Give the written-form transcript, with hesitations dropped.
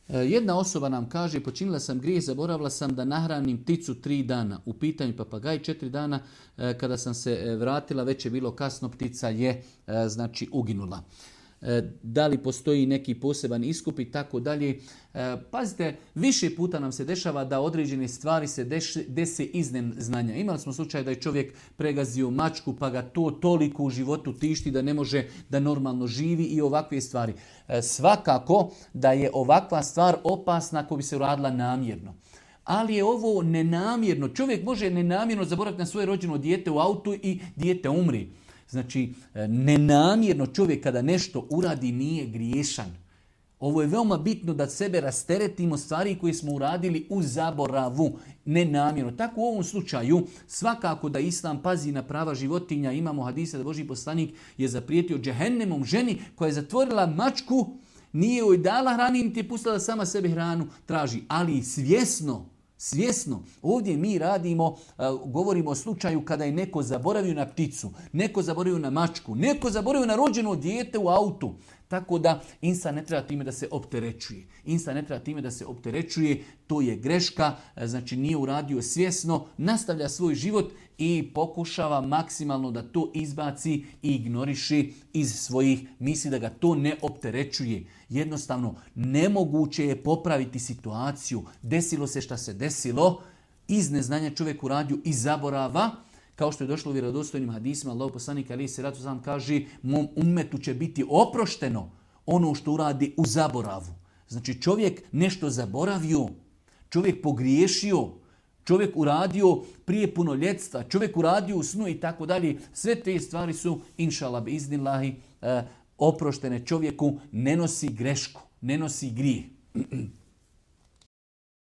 Jedna osoba nam kaže, počinila sam grijeh, zaboravila sam da nahranim pticu 3 dana. U pitanju papagaj 4 dana, kada sam se vratila, već je bilo kasno, ptica je uginula. Da li postoji neki poseban iskup i tako dalje. Pazite, više puta nam se dešava da određene stvari se dese iz neznanja. Imali smo slučaj da je čovjek pregazio mačku pa ga to toliko u životu tišti da ne može da normalno živi i ovakve stvari. Svakako da je ovakva stvar opasna ako bi se uradila namjerno. Ali je ovo nenamjerno. Čovjek može nenamjerno zaboraviti na svoje rođeno dijete u autu i dijete umri. Znači, nenamjerno čovjek kada nešto uradi nije griješan. Ovo je veoma bitno da sebe rasteretimo stvari koje smo uradili u zaboravu, nenamjerno. Tako u ovom slučaju, svakako da Islam pazi na prava životinja. Imamo hadise da Božji poslanik je zaprijetio džehennemom ženi koja je zatvorila mačku, nije joj dala hrani, niti je pustila da sama sebi hranu traži, ali svjesno. Ovdje mi govorimo o slučaju kada je neko zaboravio na pticu, neko zaboravio na mačku, neko zaboravio na rođeno dijete u autu. Tako da insan ne treba time da se opterećuje. To je greška, znači nije uradio svjesno, nastavlja svoj život i pokušava maksimalno da to izbaci i ignoriši iz svojih misli, da ga to ne opterećuje. Jednostavno, nemoguće je popraviti situaciju. Desilo se šta se desilo, iz neznanja čovjek uradio, iz zaborava, kao što je došlo u vjerodostojnim hadisima, Allahov poslanik alejhi selatu vesselam kaže, mom ummetu će biti oprošteno ono što uradi u zaboravu. Znači čovjek nešto zaboravio, čovjek pogriješio, čovjek uradio prije punoljetstva, čovjek uradio u snu i tako dalje. Sve te stvari su, inšallah bi iznillahi, oproštene čovjeku, ne nosi grešku, ne nosi grijeh.